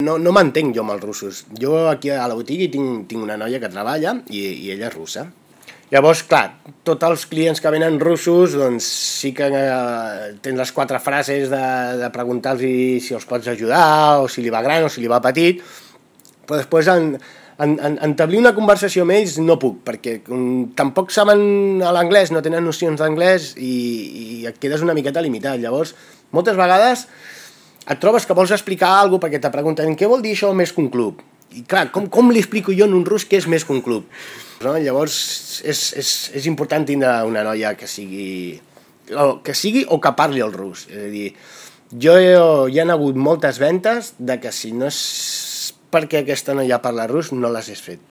No m'entenc jo amb els russos. Jo aquí a la botiga tinc una noia que treballa i ella és russa. Llavors, clar, tots els clients que venen russos, doncs sí que tens les 4 frases de preguntar-los si els pots ajudar, o si li va gran o si li va petit, però després entablir una conversació amb ells no puc, perquè tampoc saben l'anglès, no tenen nocions d'anglès i et quedes una miqueta limitat. Llavors, moltes vegades et trobes que vols explicar alguna cosa perquè te pregunten què vol dir això més que un club? I clar, com li explico jo en un rus què és més que un club? No? Llavors és important tindre una noia que sigui o que parli el rus. És a dir, hi ha hagut moltes ventes de que si no és perquè aquesta noia parla rus no les has fet.